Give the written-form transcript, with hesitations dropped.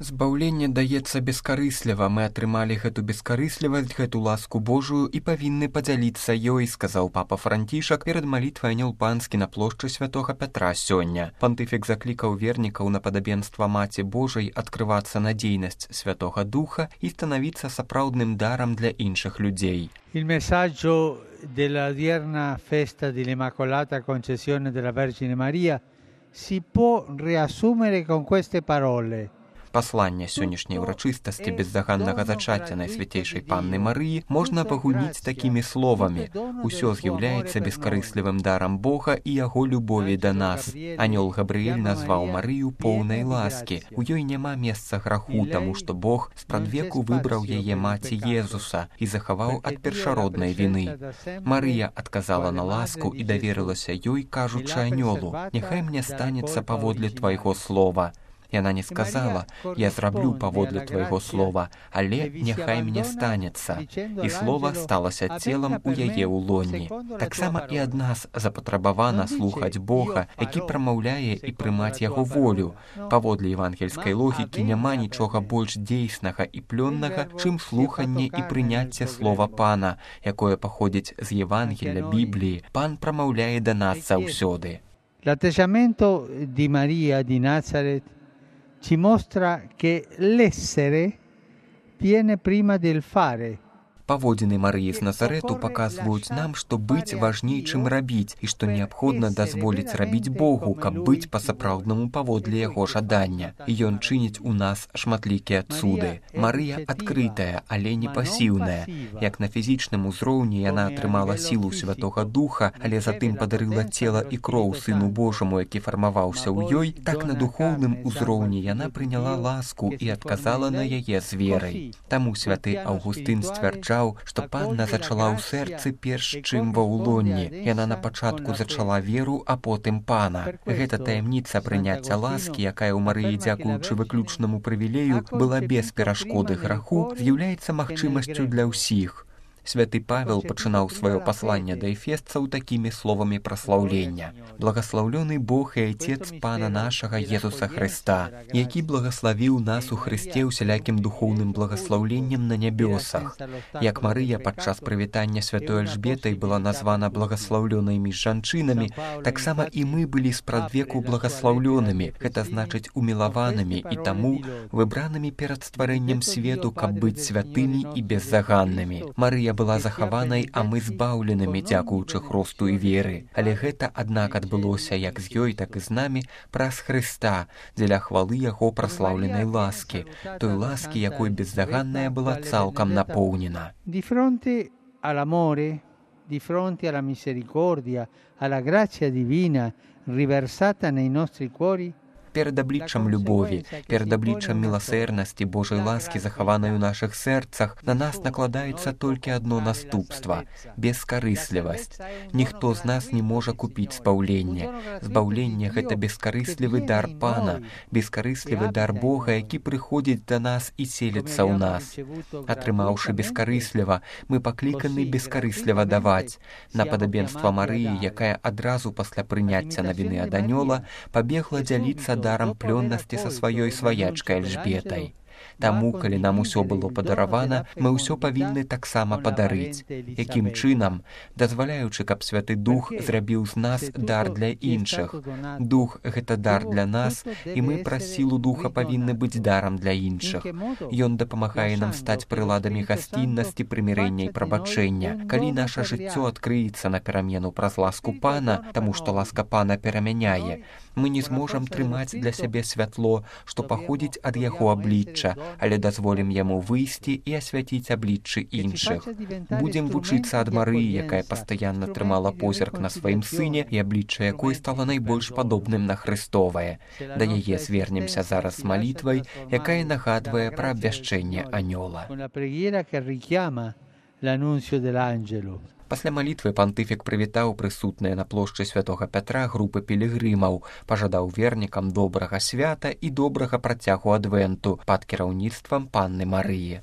Збаўленне даецца бескарысліва. Мы атрымалі гэту бескарыслівасць, гэту ласку Божую і павінны падзяліцца ёй, сказаў папа Францішак перад малітвай Анёл Панскі на плошчы святога Пятра сёння. Пантыфік заклікаў вернікаў на падабенства Маці Божай адкрывацца на дзейнасць Святога Духа і станавіцца сапраўдным дарам для іншых людзей. Il messaggio della odierna festa dell'Immacolata Concezione della Vergine Maria si può riassumere con queste parole. Пасланне сённяшняй урачыстасці бездаганнага зачацця Найсвяцейшай Панны Марыі можна пагульніць такімі словамі. Усё з'яўляецца бескарыслівым дарам Бога і яго любові да нас. Анёл Габрыэль назваў Марыю поўнай ласкі. У ёй няма месца граху, таму што Бог спрадвеку выбраў яе маці Езуса і захаваў ад першароднай віны. Марыя адказала на ласку і даверылася ёй, кажучы анёлу: «Няхай мне станецца паводле твайго слова». Яна не сказала: «Я зраблю паводле твайго слова, але няхай мне станецца». І слова сталася целам у яе ўлонні. Таксама і ад нас запатрабавана слухаць Бога, які прамаўляе і прымаць яго волю. Паводле евангельскай логікі няма нічога больш дзейснага і плённага, чым слуханне і прыняцце слова Пана, якое паходзіць з Евангелля Бібліі. Пан прамаўляе да нас заўсёды. L'atteggiamento di Maria di Nazareth ci mostra che l'essere viene prima del fare. Паводзіны Марыі з Назарэту паказваюць нам, што быць важней, чым рабіць, і што неабходна дазволіць рабіць Богу, каб быць па-сапраўднаму паводле яго жадання. І ён чыніць у нас шматлікія цуды. Марыя адкрытая, але не пасіўная. Як на фізічным узроўні яна атрымала сілу Святога Духа, але затым падарыла цела і кроў Сыну Божаму, які фармаваўся ў ёй, так на духоўным узроўні яна прыняла ласку і адказала на яе з верай. Таму святы Аўгустын сцвярджаў, што Панна зачала ў сэрцы перш, чым ва ўлонні. Яна на пачатку зачала веру, а потым Пана. Гэта таямніца прыняцця ласкі, якая ў Марыі, дзякуючы выключнаму прывілею, была без перашкоды граху, з'яўляецца магчымасцю для ўсіх. Святы Павел пачынаў сваё пасланне да эфесцаў такімі словамі праслаўлення: «Благаслаўлёны Бог і Айцец Пана нашага Езуса Хрыста, які благаславіў нас у Хрысце усялякім духоўным благаслаўленнем на нябёсах». Як Марыя падчас прывітання святой Альжбетай была названа благаслаўлёнай між жанчынамі, таксама і мы былі спрадвеку благаслаўлёнымі, гэта значыць умілаванымі і таму выбранымі перад стварэннем свету, каб быць святымі і беззаганнымі. Марыя была захаванай, а мы збаўленымі, дзякуючы хросту і веры. Але гэта, аднак, адбылося як з ёй, так і з намі праз Хрыста, дзеля хвалы яго праслаўленай ласкі, той ласкі, якой беззаганная была цалкам напоўнена. Di fronte all'amore, di fronte alla misericordia, alla grazia divina riversata nei nostri cuori, перад абліччам любові, перад абліччам міласэрнасці Божай ласкі, захаванай у нашых сэрцах, на нас накладаецца толькі адно наступства – бескарыслівасць. Ніхто з нас не можа купіць збаўленне. Збаўленне – гэта бескарыслівы дар Пана, бескарыслівы дар Бога, які прыходзіць да нас і селіцца ў нас. Атрымаўшы бескарысліва, мы пакліканы бескарысліва даваць. На падабенства Марыі, якая адразу пасля прыняцця навіны ад анёла пабегла дзяліцца дарам плённасці са сваёй сваячкай Альжбетай. Таму, калі нам усё было падаравана, мы ўсё павінны таксама падарыць. Якім чынам? Дазваляючы, каб Святы Дух зрабіў з нас дар для іншых. Дух – гэта дар для нас, і мы праз сілу Духа павінны быць дарам для іншых. Ён дапамагае нам стаць прыладамі гасціннасці, прымірэння і прабачэння. Калі наша жыццё адкрыецца на перамену праз ласку Пана, таму што ласка Пана перамяняе, мы не зможам трымаць для сябе святло, што паходзіць ад яго аблічча, але дазволім яму выйсці і асвяціць абліччы іншых. Будзем вучыцца ад Марыі, якая пастаянна трымала позірк на сваім сыне і аблічча якой стала найбольш падобным на Хрыстовае. Да яе звернемся зараз з малітвай, якая нагадвае пра абвяшчэнне анёла. Пасля малітвы пантыфік прывітаў прысутныя на плошчы святога Пятра групы пілігрымаў, пажадаў вернікам добрага свята і добрага працягу адвенту пад кіраўніцтвам Панны Марыі.